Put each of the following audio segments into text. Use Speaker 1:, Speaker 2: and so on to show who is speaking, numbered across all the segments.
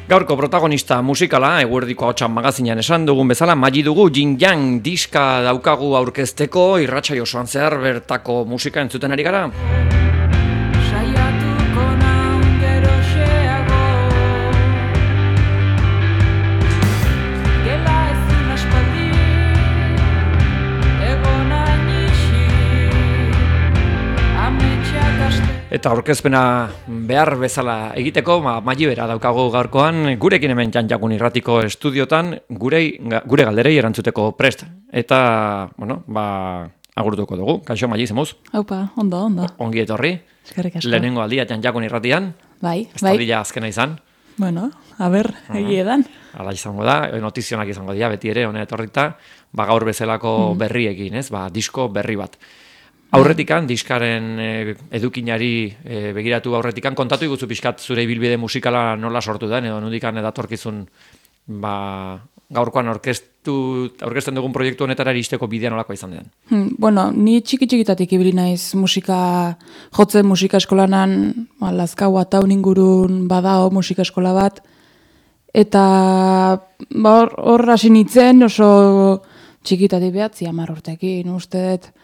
Speaker 1: Gaurko protagonista musikala, eguerdiko ahotsan magazinean esan dugun bezala, Magi dugu Yin Yang diska daukagu aurkezteko, irratsaio osoan zehar bertako musika entzuten ari gara. Eta aurkezpena behar bezala egiteko, Magi bera daukagu gaurkoan, gurekin hemen Janjakun irratiko estudiotan, gure galderei erantzuteko prest. Eta, agurtuko dugu. Kaixo, Magi, zemuz?
Speaker 2: Haupa, ondo.
Speaker 1: Ongi etorri.
Speaker 2: Eskerrik asko.
Speaker 1: Lehenengo aldia Janjakun irratian.
Speaker 2: Bai.
Speaker 1: Ez da azkena izan.
Speaker 2: Bueno, egiedan.
Speaker 1: Hala izango da, notizionak izango dira, beti ere, hone etorrita, gaur bezalako berriekin, ez? Disko berri bat. Aurretikan, diskaren edukinari begiratu aurretikan, kontatu iguzu pixkat zure ibilbide musikala nola sortu den, edo nundikan edatorkizun gaurkoan aurkezten dugun proiektu honetara iristeko bidea nolakoa izan den.
Speaker 2: Bueno, ni txiki-txikitatik ibili naiz jotzen musika eskolanan, Lazkau Ataun ingurun badao musika eskola bat, eta hor hasi nintzen oso txikitatik behatzi 10 urtekin, uste dut.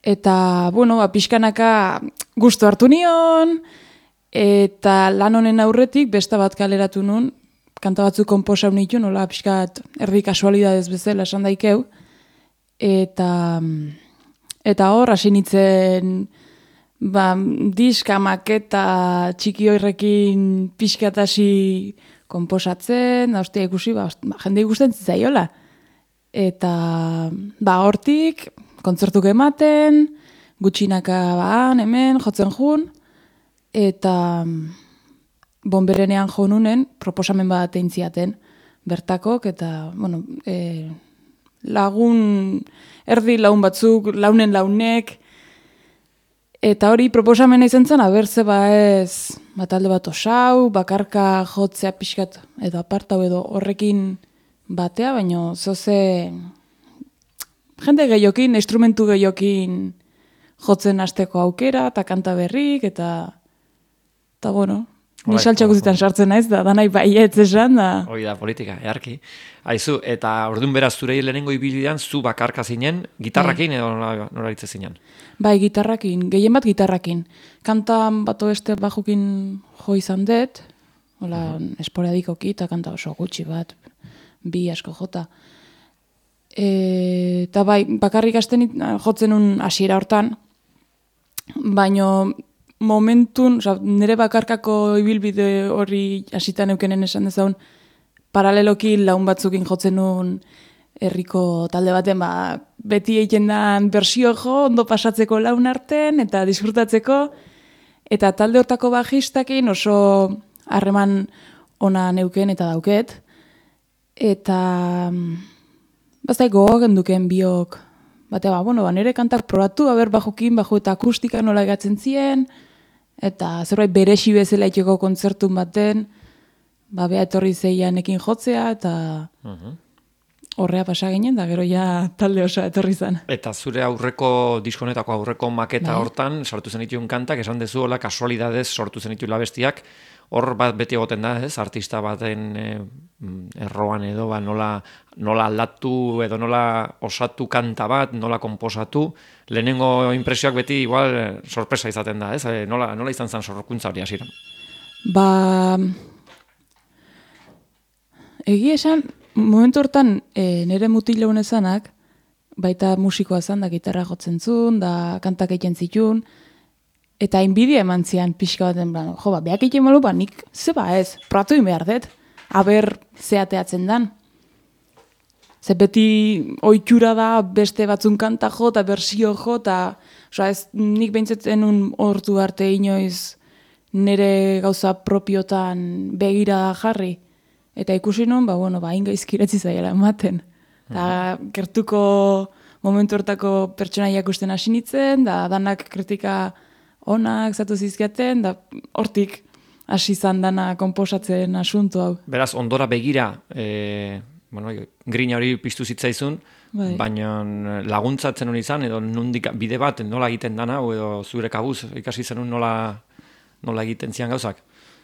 Speaker 2: Eta, pixkanaka gustu hartu nion, eta lan honen aurretik besta bat kaleratu nun, kanta batzuk konposau nitu, nola pixkat erdi kasualidadez bezala esan daikeu, eta hor, hasi nintzen, diska, maketa, txiki horrekin pixkat hasi konposatzen, da hostia ikusi, jende ikusten zitzaiola. Eta, hortik, kontzertuk ematen, gutxinaka hemen, jotzen jun, eta bonberenean jo nunen, proposamen bat egin ziaten bertakok, eta, erdi laun batzuk, launek, eta hori proposamena izan zen, abertze ez, talde bat osau, bakarka jotzea pixkat, edo apartau edo horrekin batea, baina zoze jende gehiokin, instrumentu gehiokin jotzen hasteko aukera, eta kanta berrik, eta ni saltxak guzitan sartzen naiz, da nahi baietz esan, da.
Speaker 1: Hoi da, politika, earki. Aizu, eta orduan beraz zure lehenengo ibilidean, zu bakarka zinen, gitarrakin edo nola hitze zinen?
Speaker 2: Bai, gitarrakin, gehien bat gitarrakin. Kanta bat oeste bajukin jo izan dut, esporadikoki, eta kanta oso gutxi bat, bi asko jota. Eta bakarrik hasten jotzen un hasiera hortan, baino momentun, nire bakarkako ibilbide hori hasitan eukenen esan dezaun, paraleloki laun batzukin jotzen un herriko talde baten, beti egiten dan bersio jo, ondo pasatzeko laun arten, eta disfrutatzeko, eta talde hortako bajistakin oso harreman ona neuken eta dauket, eta baztai gogoak duken biok, nire kantak probatu, bajukin, eta akustika nola egatzen zien, eta zerbait beresi bezala itxeko kontzertun baten, beha etorri zeian ekin jotzea, eta horrea pasa ginen, da gero ja talde osa etorri zen.
Speaker 1: Eta zure aurreko, diskonetako aurreko maketa hortan, sartu zenituen kantak, esan dezu, kasualidadez sortu zenituen labestiak, hor bat beti egoten da, artista baten erroan edo, nola aldatu edo nola osatu kanta bat, nola konposatu, lehenengo impresioak beti igual sorpresa izaten da, nola izan zen sorkuntza hori hasiran?
Speaker 2: Egia esan, momentu hortan nire mutil leun ezanak, baita musikoa zan, da gitarra jotzen zuen, da kantak egiten zituen, eta inbidia eman zian pixka baten, behak egiten malu, nik zeba ez, pratu behar dut, aber zeateatzen dan. Ze beti oitxura da beste batzun kanta jo, eta bersio jo, eta nik behintzetzen hortu arte inoiz nire gauza propiotan begira jarri. Eta ikusi nun, ingaizkiretzi zaiela ematen. Eta gertuko momentu hortako pertsonaiak usten hasi nintzen, da danak kritika onak zatu zizkiaten, da hortik hasi izan dana konposatzen asuntu hau.
Speaker 1: Beraz, ondora begira, grina hori piztu zitzaizun, baina laguntzatzen hori izan, edo nundik bide bat nola egiten dana, edo zure kabuz ikasi zenun nola egiten zian gauzak?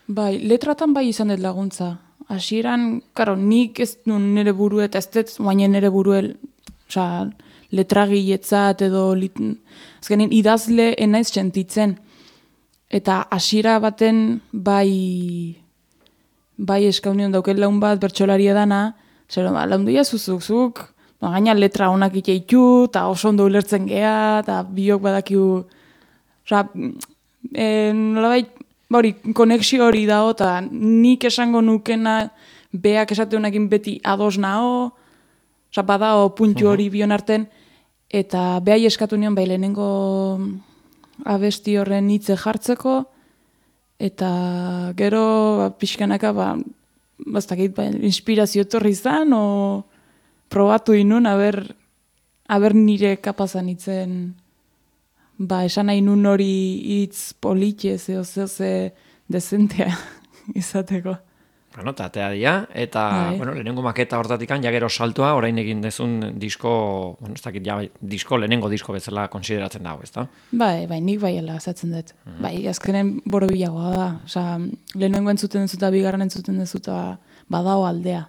Speaker 2: Bai, letratan bai izan dut laguntza. hasieran, karo, nik ez nun nire burue, eta ez dut guainen nire burue, letragiletzat edo, azkenin idazle enaiz sentitzen. Eta hasiera baten bai eskaunion dauken laun bat bertsolari edana, zer, laundu zuzuk, gaina letra honak iteitu, eta oso ondo ulertzen gea, eta biok badakiu, nolabait, hori, konexio hori dago, eta nik esango nukena, beak esate honekin beti ados nao, badao puntu hori bion arten, eta behai eskatu nion, bai lehenengo abesti horren hitze jartzeko, eta gero pixkanaka, bastakit, inspirazio etorri izan, o probatu inun, aber nire kapazan itzen, esan nahi nun hori hitz politxe, ze dezentea izateko.
Speaker 1: Bueno, tatea dia, eta lehenengo maketa hortatik ja gero saltoa, orain egin dezun disko, ez dakit, lehenengo disko bezala konsideratzen dago, ez da?
Speaker 2: Bai, nik baiela azatzen dut. Bai, azkenen borobilagoa da. Osa, lehenengo entzuten dezuta, bigarren entzuten dezuta, badao aldea.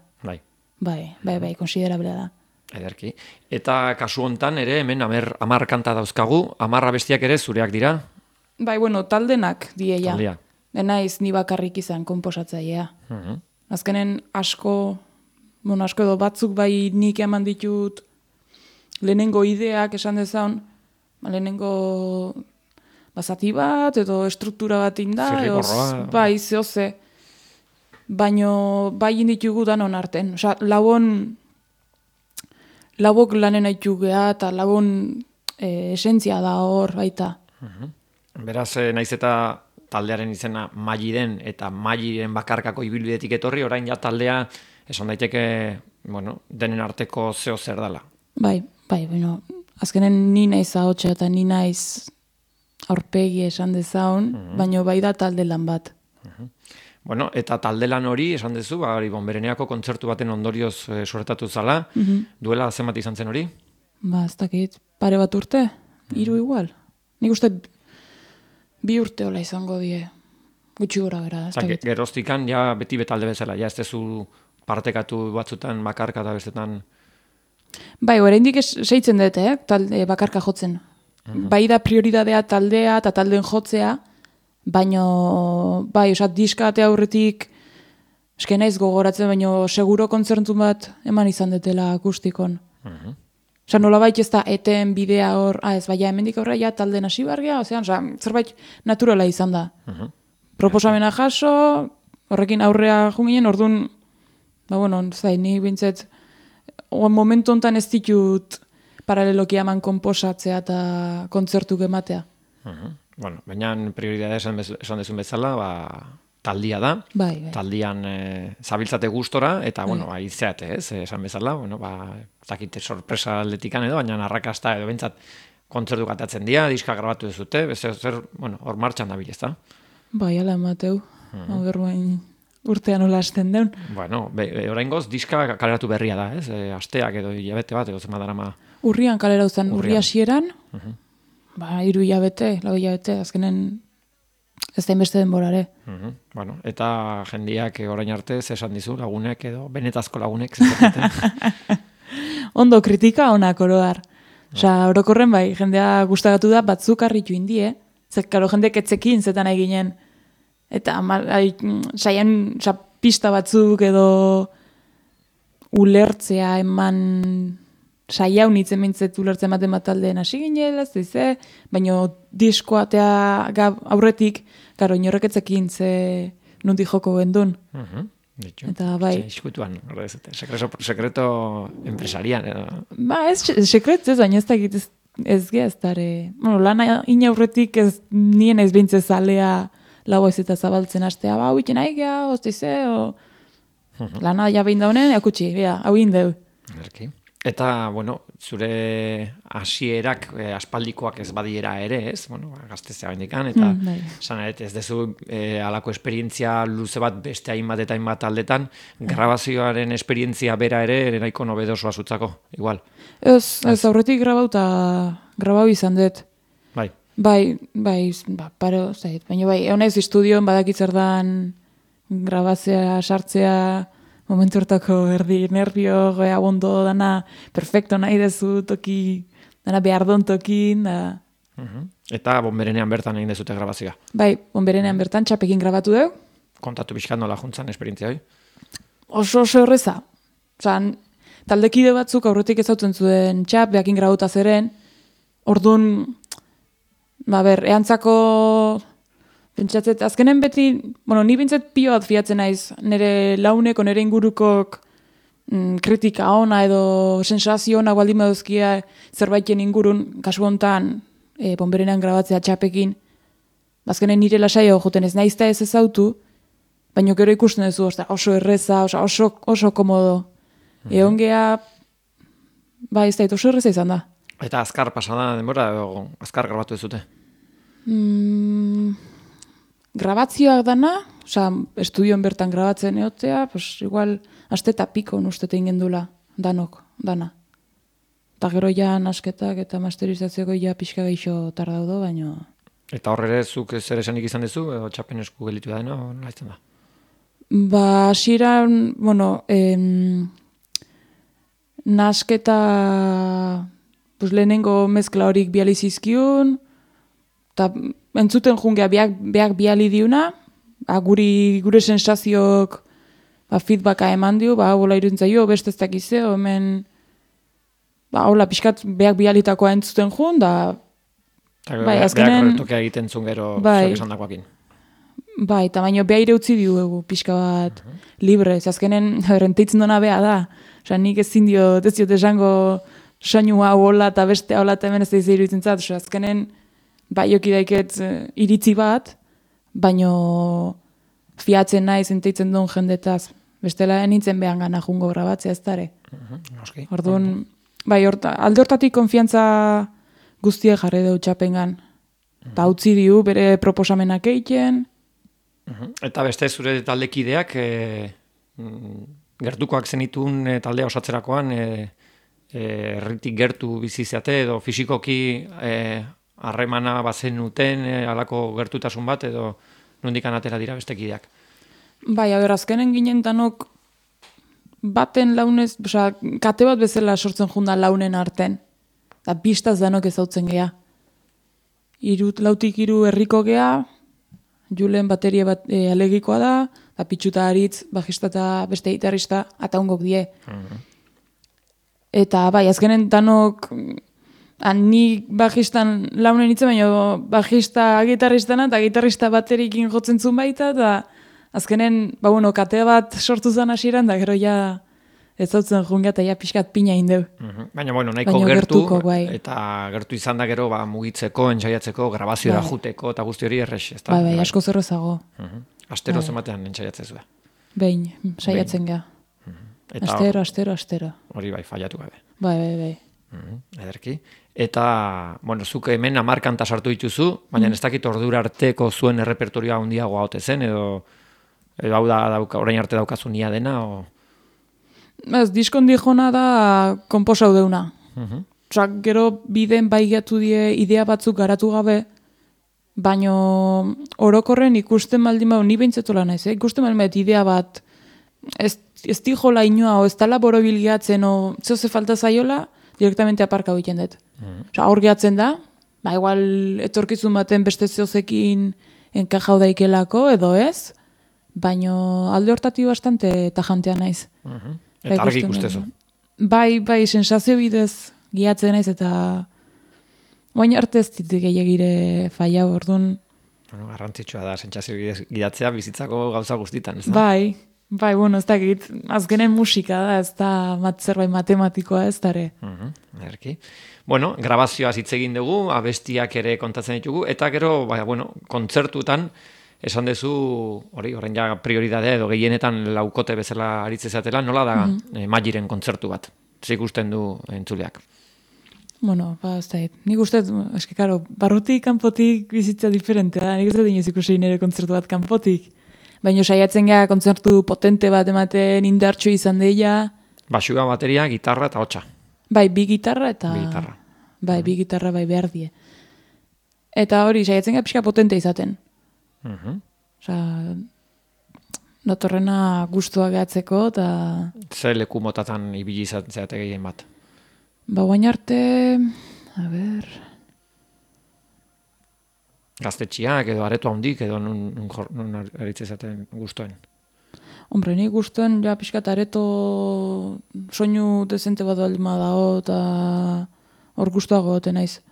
Speaker 2: Bai, konsiderablea da.
Speaker 1: Ederki. Eta kasu hontan ere, hemen 10 kanta dauzkagu, 10 abestiak ere zureak dira?
Speaker 2: Bai, taldenak dieia. Taldea. Enaiz ni bakarrik izan konposatzailea. Azkenen asko edo batzuk bai nik eman ditut lehenengo ideak esan dezaun, lehenengo zati bat edo estruktura bat inda, bai, zehose. Baino bai inditugu danon arten. Osa, labok lanen haitu geha eta labon esentzia da hor baita.
Speaker 1: Beraz, naiz eta taldearen izena Maili den eta Mailiren bakarkako ibilbidetik etorri, orain ja taldea esan daiteke, denen arteko zeo zer dela. Bai,
Speaker 2: azkenen ni naiz ahotsa eta ni naiz aurpegi esan dezaun, baino bai da talde lan bat.
Speaker 1: Eta talde lan hori, esan dezu, Bonbereneako kontzertu baten ondorioz suertatu zala, duela zenbat izan zen hori?
Speaker 2: Ez dakit, pare bat urte, 3 igual. Nik uste 2 urte hola izango die, gutxi gora bera.
Speaker 1: Geroztikan, ja beti betalde bezala, ja ez dezu partekatu batzutan bakarka eta bestetan?
Speaker 2: Bai, oraindik seitzen dut, talde bakarka jotzen. Bai da prioridadea taldea eta taldeen jotzea, baino, bai, diska atea aurretik, eske naiz gogoratzen, baino seguro kontzertu bat eman izan detela akustikon. Osa, nolabait ez da eten bidea hor, ez baina hemendik aurra ja talden hasi bargia, zerbait naturala izan da. Proposamena jaso, horrekin aurrea junginen, orduan, ni bintzet, momentu honetan ez ditut paraleloki eman konposatzea eta kontzertuk ematea.
Speaker 1: Baina prioridadea esan dezun bezala, taldia da, taldian zabiltzate gustora, eta, aizeate, esan bezala, zakite sorpresa aldetikan edo, baina arrakasta edo bentsat kontzertu gatatzen dira, diska grabatu dezute, hor martxan dabil, ez da?
Speaker 2: Bai, ala emateu, urtean hola hasten deun.
Speaker 1: Orain goz, diska kaleratu berria da, asteak edo hilabete bat, edo zema darama.
Speaker 2: Urrian kalera uzan, urri hasieran, 3 hilabete, 4 hilabete, azkenen ez da inbeste denborare.
Speaker 1: Eta jendiak orain arte esan dizu lagunek edo benetazko lagunek.
Speaker 2: Ondo kritika onak oroar. Orokorren bai, jendea gustagatu da batzuk harritu indie. Karo jendek etzekin zetan eginen. Eta saian pista batzuk edo ulertzea eman saia unitzen mintzet ulertzen baten bat taldeen hasi ginela, baina diskoatea aurretik, garo, inorreketzekin ze nundi joko gendun. Eta bai.
Speaker 1: Iskutuan, sekreto empresarian.
Speaker 2: Ez sekret ez, baina ez da egit ez geaztare. Lana inaurretik ez nien ez bintze zalea lau ez eta zabaltzen hastea, hau iten aigea, lana ja behin daunen, akutsi, hau indeu.
Speaker 1: Eta, zure hasierak aspaldikoak ez badiera ere, ez? Gaztezea baindikan, eta ez dezu alako esperientzia luze bat beste hainbat eta hainbat aldetan, grabazioaren esperientzia bera ere nahiko nobedosoa zutzako, igual.
Speaker 2: Ez aurretik grabau izan dut. Bai, pare, baina bai, egon ez estudioan badakitzer dan grabazea, sartzea, momentu hortako erdi nervio, goea bondo, dana perfecto nahi dezu toki, dana behar don tokin, da...
Speaker 1: Eta Bonberenean bertan egin dezute grabazioa.
Speaker 2: Bai, Bonberenean bertan txapekin grabatu dugu.
Speaker 1: Kontatu pixkat nola juntzan esperientzia hori?
Speaker 2: Oso erreza. Osan, taldekide batzuk aurretik ezautzen zuen txap, behakin grabuta zeren, orduan, eantzako pentsatzet, azkenen beti, ni bintzet pio bat fiatzen naiz, nire launeko, nire ingurukok kritika ona edo sensazio ona baldin baduzkia zerbaiten ingurun, kasu hontan, Bonberenean grabatzea txapekin, azkenen nire lasaio joten ez naizta ez ezautu, baina gero ikusten duzu, oso erreza, oso komodo. Egon geha, ez da, oso erreza izan da.
Speaker 1: Eta azkar pasada denbora, edo azkar grabatu ez dute?
Speaker 2: Grabazioak dana, estudioan bertan grabatzen egotea, igual, aste eta piko ustete ingendula, dana. Eta gero ja nasketak eta masterizatzeko ja pixka geixo tardaudo, baina...
Speaker 1: Eta horre zuk zer esanik izan dezu, edo txapen esku gelitu da dena, nola izan da?
Speaker 2: Hasieran, nasketa lehenengo mezkla horik biali zizkiun, eta entzuten jungea beak biali diuna, gure sensazioak feedbacka eman dio, hola irudintzaio, beste ez dakizeo, hemen, hola pixkat beak bialitakoa entzuten jun, da...
Speaker 1: Beak retokea egiten zuen gero zuek esan dakoakin.
Speaker 2: Eta baino beha ire utzi diugu pixka bat libre, azkenen renteitzen dona beha da. Nik ezin diot esango soinu hau hola eta beste hola eta hemen ez da iruditzen zat. Azkenen joki daiket iritzi bat, baino fiatzen nahi zenteitzen duen jendetaz. Bestela nintzen behan gana jungo grabatzea ez dara. Orduan, alde hortatik konfiantza guztiek jarri dut txapengan. Eta utzi diu bere proposamenak egiten.
Speaker 1: Eta beste zure taldekideak gertukoak zenitun taldea osatzerakoan erritik gertu biziziate edo fisikoki harremana bazenuten halako gertutasun bat edo nondikan atera dira bestekideak?
Speaker 2: Azkenen ginen danok baten launez, kate bat bezala sortzen junda launen arten. Eta pistaz danok ezautzen geha. Lautik hiru herriko geha, Julen bateria bat alegikoa da, eta Pitxuta Aritz, bajista eta beste gitarrista, ataungok die. Eta azkenen danok, ni bajistan launen nintzen, baina bajista gitarristana, eta gitarrista baterikin jotzen zuen baita, eta azkenen, kate bat sortu zen hasieran, da gero ja ez zautzen junga eta ja pixkat pina indeu.
Speaker 1: Baina, nahiko gertu, eta gertu izan da gero mugitzeko, entzaiatzeko, grabazioa juteko, eta guzti hori errex.
Speaker 2: Asko zerrezago.
Speaker 1: Astero zematean entzaiatzen zuen.
Speaker 2: Behin, saiatzen ga. Astero.
Speaker 1: Hori fallatu gabe.
Speaker 2: Bai.
Speaker 1: Ederki. Eta, zuk hemen 10 kanta sartu dituzu, baina ez dakit ordura arteko zuen errepertorioa handiagoa ote zen, edo hau da orain arte daukazu nia dena, o...
Speaker 2: Diskon dijona da konposau deuna. Gero biden baigatu die idea batzuk garatu gabe, baino orokorren ikusten baldin ni behintzetola naiz, ikusten baldin idea bat ez dijola inoa, o ez tala borobilgatzen, o zehoze falta zaiola, direktamente aparka egiten dut. Hor gehatzen da, igual etorkizun baten beste zehozekin enkajau daikelako, edo ez, baino alde hortati bastante tajantea naiz.
Speaker 1: Eta argi ikustezu.
Speaker 2: Bai, sensazio bidez giatzen naiz, eta baina arte ez ditik gehiagire faia orduan.
Speaker 1: Garrantzitsua da, sensazio bidez gidatzea bizitzako gauza guztitan, ez da?
Speaker 2: Bai, ez dakit, azkenen musika da, ez da zerbait matematikoa ez dare.
Speaker 1: Erki. Grabazioa hitz egin dugu, abestiak ere kontatzen ditugu, eta gero, kontzertutan, esan dezu, horren ja prioridadea edo gehienetan laukote bezala aritzezatela, nola da Magiren kontzertu bat? Zer ikusten du entzuleak?
Speaker 2: Ez da, nik uste, barrutik, kanpotik bizitza diferente da, nik uste dinez ikusi nire kontzertu bat kanpotik. Baina saiatzen gara kontzertu potente bat ematen indartxo izan deia.
Speaker 1: Basua, bateria, gitarra eta hotxa.
Speaker 2: Bi gitarra eta... Bi gitarra behar die. Eta hori, saiatzen gara pixka potente izaten. datorrena gustua gehatzeko, eta...
Speaker 1: Ze leku motatan ibili zeate gehien bat?
Speaker 2: Ba, guain arte... A ber...
Speaker 1: Gaztetxiak edo areto handik edo nun aritze zaten gustuen?
Speaker 2: Hombre, nik gustuen ja pixkat areto soinu dezente bat baldima dago eta hor gustuago gote naiz.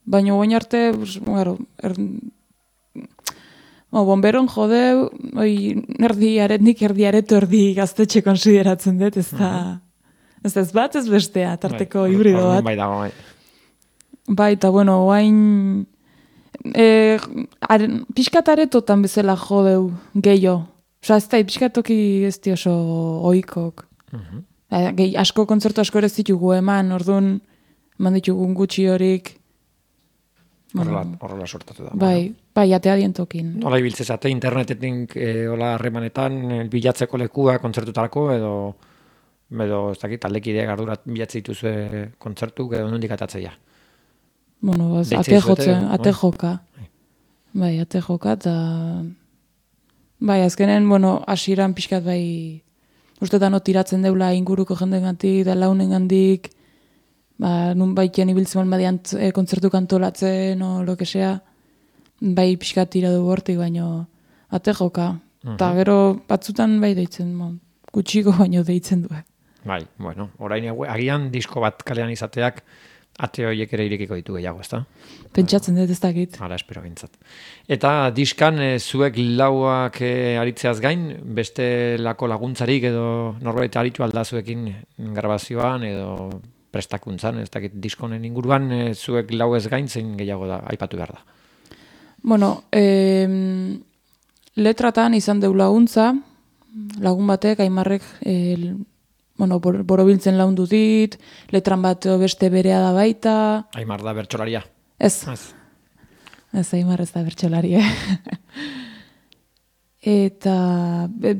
Speaker 2: Baina guain arte, bueno, bomberon jode, erdi areto, erdi gaztetxe konsideratzen dut, ez da... Ez bat, ez bestea, tarteko hibrido bat.
Speaker 1: Bai dago, bai.
Speaker 2: Bai, eta bueno, guain... pixkat aretotan bezala jodeu gehiago. Osa, ez da, pixkatoki ez di oso oikok. Asko kontzertu asko ere ditugu eman, orduan eman ditugun gutxi horik.
Speaker 1: Horrela sortatu da.
Speaker 2: Bai, atea dientokin.
Speaker 1: Nola ibiltze zate, internetetik hola harremanetan bilatzeko lekua kontzertutarako edo ez dakit, taldekideak ardurat bilatze dituzue kontzertuk edo nondik atatzea.
Speaker 2: Bueno, ate joka. Bai, ate joka, eta... Bai, azkenen, bueno, hasieran pixkat bai... Ustetan tiratzen deula inguruko jendengandik, da launengandik, nun baiten ibiltzen badian kontzertu kantolatzen, o lo que sea, bai pixkat tira du hortik, baino ate joka. Eta gero batzutan bai deitzen, gutxiko baino deitzen du.
Speaker 1: Bai, bueno, orain agian disko bat kalean izateak ate horiek ere irekiko ditu gehiago, ezta?
Speaker 2: Pentsatzen dut ez dakit.
Speaker 1: Hala, espero bintzat. Eta diskan zuek lauak aritzeaz gain, beste lako laguntzarik edo norbait aritu aldazuekin grabazioan edo prestakuntzan, ez dakit diskonen inguruan zuek lau ez gain zein gehiago da, aipatu behar da.
Speaker 2: Bueno, letratan izan deu laguntza, lagun batek, Aimarrek, borobiltzen laundu dit, letran bat beste berea da baita.
Speaker 1: Aimar da bertsolaria?
Speaker 2: Ez, Aimar ez da bertsolaria. Eta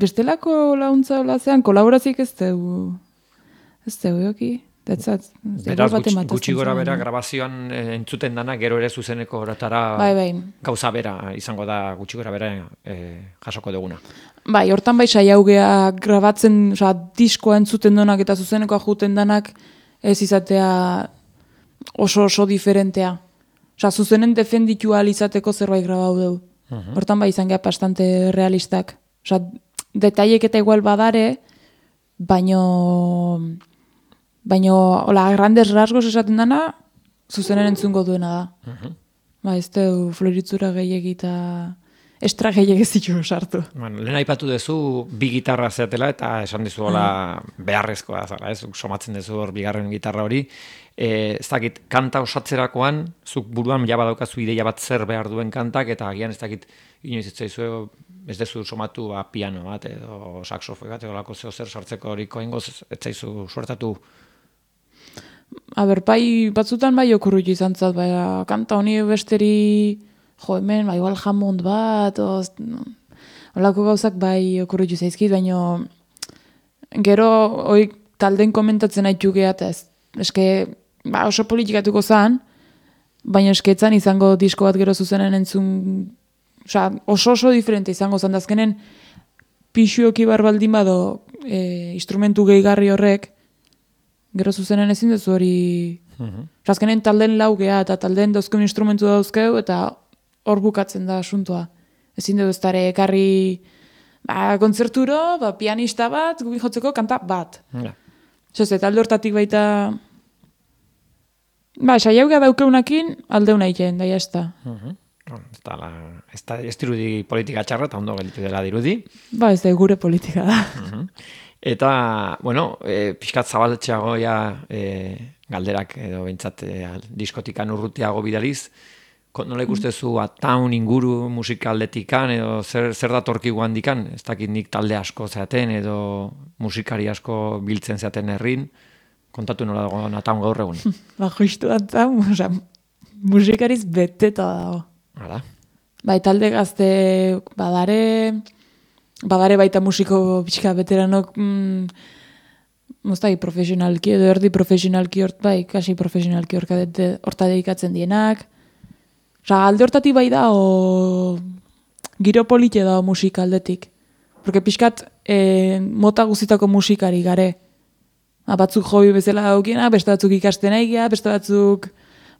Speaker 2: bestelako laguntza olazean, kolaborazik ez dugu joki.
Speaker 1: Beraz, gutxi gora bera grabazioan entzuten dana, gero ere zuzeneko horatara gauza bera izango da gutxi gora bera jasoko duguna.
Speaker 2: Bai, hortan bai saiaugea grabatzen, diskoa entzuten donak eta zuzenekoa juten danak ez izatea oso diferentea. Zuzenen defenditu ahal izateko zerbait grabau dugu. Hortan bai izan geha bastante realistak. Detaiek eta igual badare, baino hola, grandes rasgos esaten dana, zuzenen entzungo duena da. Ba, ez du floritzura gehiagita estra gehiagezitu sartu.
Speaker 1: Bueno, lehen aipatu duzu bi gitarra zeatela eta esan dizu hola beharrezkoa zara, ez? Somatzen duzu hor bigarren gitarra hori. Ez dakit, kanta osatzerakoan, zuk buruan jaba daukazu ideia bat zer behar duen kantak, eta agian ez dakit, inoiz ez zaizu, ez dezu somatu piano bat edo saxofoi bat, edo lako zer sartzeko horiko ingoz, ez zaizu suertatu.
Speaker 2: Bai, batzutan bai okurrutu izan zat, kanta honi besteri, hemen, igual Hammond bat, holako gauzak bai okurrutu zaizkit, baina gero talden komentatzen haitu gehat, eske oso politikatuko zan, baina esketzan izango disko bat gero zuzenen entzun, oso diferente izango zan, dazkenen pixuoki barbaldin bado instrumentu gehigarri horrek, gero zuzenen ezin duzu hori... Azkenen talden laugea eta talden dauzkeun instrumentu dauzkeu eta hor bukatzen da asuntoa. Ezin dugu ez dara ekarri kontzerturo, pianista bat, gubi jotzeko kanta bat. Eta alde hortatik baita... Saiaugea daukeunakin aldeuna iten, daia ez da.
Speaker 1: Ez dirudi politika txarra, eta ondo gelditu dela dirudi.
Speaker 2: Ez da gure politika da.
Speaker 1: Eta, bueno, pixkat zabaltxeago galderak edo bintzat diskotikan urrutiago bidaliz, nola ikustezu ataun inguru musikaldetikan edo zer datorki guandikan, ez dakit nik talde asko zeaten edo musikari asko biltzen zeaten herrin, kontatu nola dago ataun gaur egun.
Speaker 2: Justu ataun, musikariz beteta dago.
Speaker 1: Hala?
Speaker 2: Talde gazte badare baita musiko pixka veteranok profesionalki edo erdi profesionalki kasi profesionalki horta dedikatzen dienak. Alde hortatik bai da giro polite da musika aldetik. porque pixkat mota guztitako musikari gare. Batzuk hobi bezala daukiena, beste batzuk ikasten aigia, beste batzuk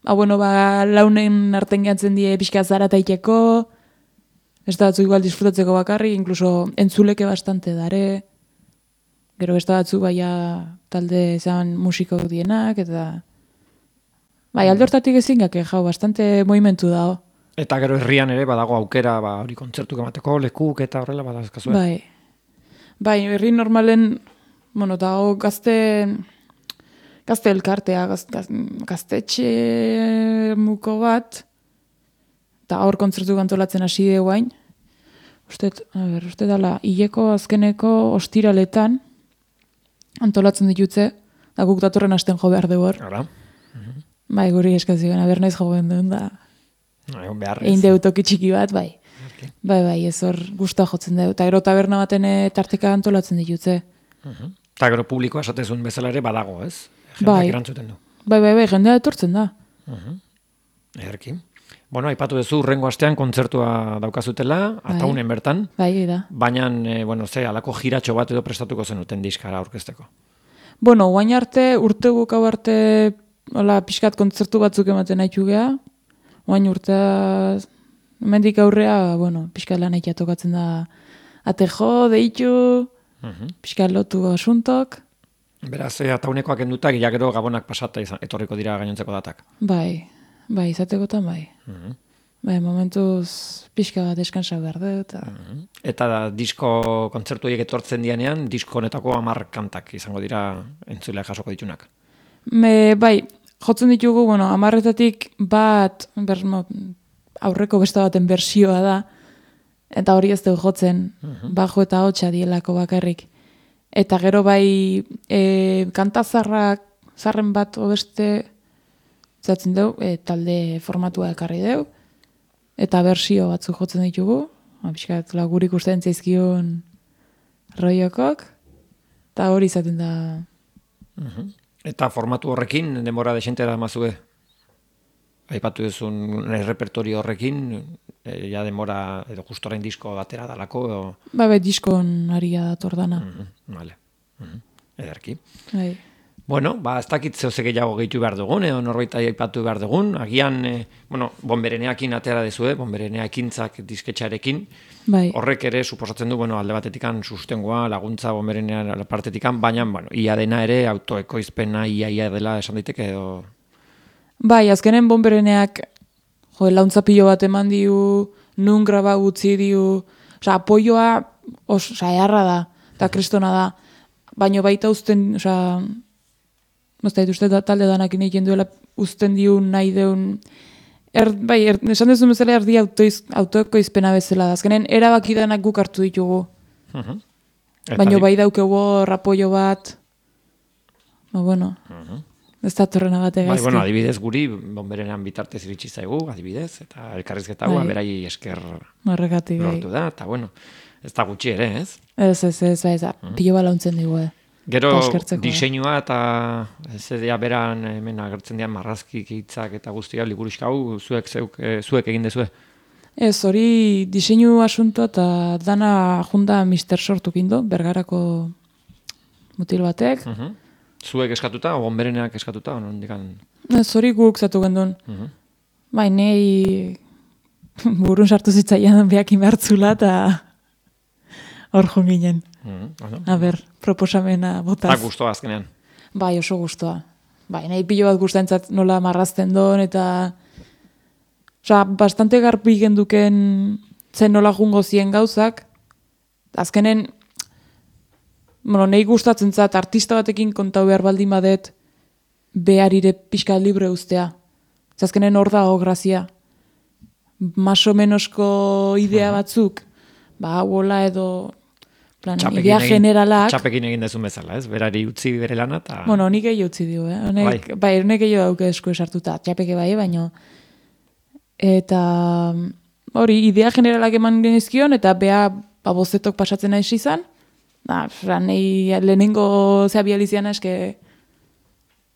Speaker 2: launen arten gehatzen die pixkat zarataiteko, beste batzuk igual disfrutatzeko bakarri, incluso entzuleke bastante dare, gero beste batzuk talde zan musikok dienak, eta alde hortatik ezin gake jau, bastante movimentu dago.
Speaker 1: Eta gero herrian ere badago aukera, hori kontzertuk emateko, lekuk eta horrela badazkazue.
Speaker 2: Bai, herri normalen, dago gazte elkartea, gaztetxe muko bat, eta hor kontzertu antolatzen hasi de guain. Uste dala, hileko azkeneko ostiraletan antolatzen ditutze, da guk datorren hasten jo behar dugu hor.
Speaker 1: Hala.
Speaker 2: Bai, guri eskazioen, naiz jo behar duen da. Egin deutoki txiki bat, bai. Bai, ez hor guztua jotzen dugu. Eta gero taberna baten tarteka antolatzen ditutze.
Speaker 1: Eta gero publikoa esatezun bezala ere badago, ez?
Speaker 2: Bai,
Speaker 1: erantzuten du.
Speaker 2: Bai, jendea etortzen da.
Speaker 1: Ederki. Bueno, aipatu duzu, urrengo astean kontzertua daukazutela, ataunen bertan.
Speaker 2: Bai, da.
Speaker 1: Baina, alako jiratxo bat edo prestatuko zenuten diskara aurkezteko.
Speaker 2: Guain arte, urte bukau arte, pixkat kontzertu batzuk ematen haitu geha. Guain urtea, mendik aurrea, pixkat lan aitea tokatzen da atejo, deitu, pixkat lotu asuntok.
Speaker 1: Beraz, ataunekoak endutak, gero gabonak pasata etorriko dira gainontzeko datak.
Speaker 2: Bai, izatekotan bai. Bai, momentuz pixka bat deskansa behar dut.
Speaker 1: Eta disko kontzertu horiek etortzen dianean, disko honetako 10 kantak izango dira entzuleak jasoko ditunak.
Speaker 2: Bai, jotzen ditugu, 10-etatik bat, aurreko beste baten bersioa da, eta hori ez dugu jotzen, bajo eta hotxa dielako bakarrik. Eta gero bai kanta zarren bat obeste zatzen dugu, talde formatua ekarri dugu, eta bersio batzuk jotzen ditugu, pixkat lagurik ustean zaizkion roiokok, eta hori izaten da.
Speaker 1: Eta formatu horrekin, denbora desentera mazue? Aipatu duzun repertorio horrekin, ja denbora, edo justorain disko batera dalako?
Speaker 2: Bai, diskon aria dator dana.
Speaker 1: Vale. Ederki.
Speaker 2: Bai.
Speaker 1: Bueno, ez dakit zehose gehiago gehitu behar dugun, edo norbait aipatu behar dugun. Agian, bonbereneakin atera dezue, bonbereneakintzak disketxarekin.
Speaker 2: Bai.
Speaker 1: Horrek ere, suposatzen du, alde batetikan sustengoa, laguntza bonberenean partetikan, baina, ia dena ere, autoekoizpena ia dela esan daiteke, edo...
Speaker 2: Bai, azkenen bonbereneak launtza pilo bat eman diu, nun graba gutzi diu, apoioa eharra da, eta kristona da, baina baita uzten, uste talde danak egiten duela uzten diu nahi deun, esan duzun bezala erdi autoekoizpena bezala da, azkenen erabaki danak guk hartu ditugu. Baina bai daukego apoio bat, ez da torrena bat egazki.
Speaker 1: Bai, adibidez guri, bonberenean bitartez iritsi zaigu, adibidez, eta elkarrizketa hau, berai esker lortu da, eta ez da gutxi ere, ez?
Speaker 2: Ez, pilo balauntzen digu,
Speaker 1: Gero diseinua eta zedea beran hemen agertzen dian marrazkik hitzak eta guztia liburuxka hau zuek egin dezue?
Speaker 2: Ez, hori diseinu asunto eta dana junda Mr. Sortuk indo, Bergarako mutil batek.
Speaker 1: Zuek eskatuta, o bonbereneak eskatuta?
Speaker 2: Ez, hori guk zatu gendun. Bai, nei burun sartu zitzaian behak inbertzula eta hor jonginen. Proposamena botaz.
Speaker 1: Eta guztua azkenean?
Speaker 2: Bai, oso guztua. Bai, nahi pilo bat guztaentzat nola marrazten don, eta bastante garbi genduken zen nola jungo zien gauzak. Azkenen, nahi gustatzen zat, artista batekin kontau behar baldin badet, beharire pixka libre ustea. Azkenen hor dago grazia. Maso menosko idea batzuk, hola edo... idea generalak...
Speaker 1: Txapekin egin dezun bezala, ez? Berari utzi bere lana, eta...
Speaker 2: Nik egin utzi dio, Honek egin dauke esku esartuta, txapeke bai, baino... Eta... Hori, idea generalak eman genizkion, eta beha bozetok pasatzen nahi izan. Nahi lehenengo zehabializiana eske...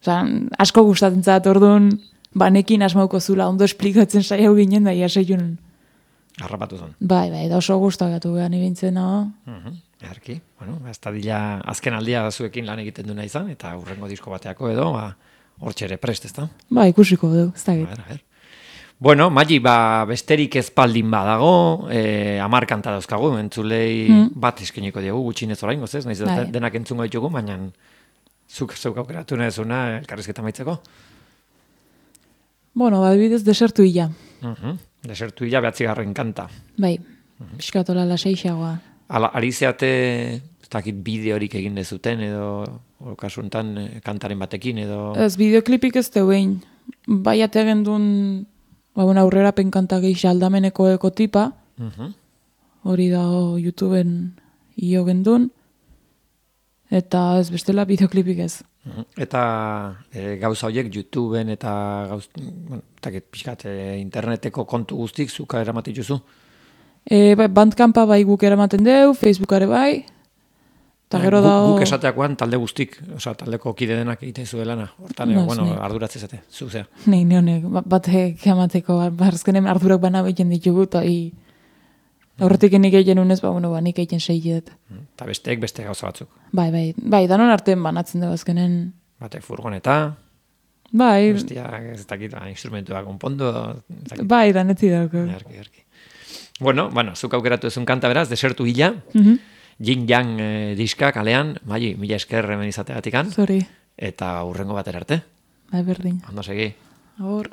Speaker 2: Asko gustatzen zat, orduan, banekin asmauko zula, ondo esplikatzen saiau ginen, da,
Speaker 1: Harrapatu zen.
Speaker 2: Bai, da oso gustagatu gehan ibintzen, no?
Speaker 1: Eharki, bueno, ez da dila azken aldia zuekin lan egiten duna izan, eta hurrengo disko bateako edo, hortxe ere prest, ez da?
Speaker 2: Ba, ikusiko du, ez da
Speaker 1: A Bueno, Magi, besterik ezpaldin badago, 10 kanta dauzkagu, entzulei bat eskeniko diegu, gutxinez orain, gozez, nahiz denak entzungo ditugu, baina zuk aukeratu nahezuna elkarrizketa maitzeko.
Speaker 2: Bueno, bidez desertu hila.
Speaker 1: Desertu hila 9. kanta.
Speaker 2: Bai, piskatola laseixagoa.
Speaker 1: Ari zeate, ez dakit bideorik egin dezuten, edo kasuntan kantaren batekin, edo...
Speaker 2: Ez, bideoklipik ez teuen. Bai ategen duen, aurrera penkanta gehi aldameneko ekotipa. Hori da YouTubeen io gendun. Eta ez bestela bideoklipik ez.
Speaker 1: Eta gauza horiek YouTubeen eta pixkat interneteko kontu guztik zuka eramaten juzu?
Speaker 2: Bandcampa bai guk eramaten deu, Facebookare bai. Eta gero da...
Speaker 1: Guk esateakoan talde guztik, taldeko kide denak egiten zuelana. Hortan, arduratzez zate, zuzea.
Speaker 2: Nei, honek, batek emateko, barzkenen ardurak bana behiten ditugu, eta aurretik nik egiten unez, nik egiten segidet.
Speaker 1: Eta besteek beste gauza batzuk.
Speaker 2: Bai, danon artean banatzen dugu azkenen.
Speaker 1: Batek furgoneta,
Speaker 2: bai,
Speaker 1: bestia, ez dakit, instrumentua konpondo.
Speaker 2: Bai, danetzi dauko.
Speaker 1: Erki. Bueno, zuk aukeratu ezun kanta beraz, desertu hila, Jin Yang diska kalean, Magi, mila esker hemen izateagatik.
Speaker 2: Sorry.
Speaker 1: Eta hurrengo batera arte.
Speaker 2: Bai, berdin.
Speaker 1: Ondo segi.
Speaker 2: Agur.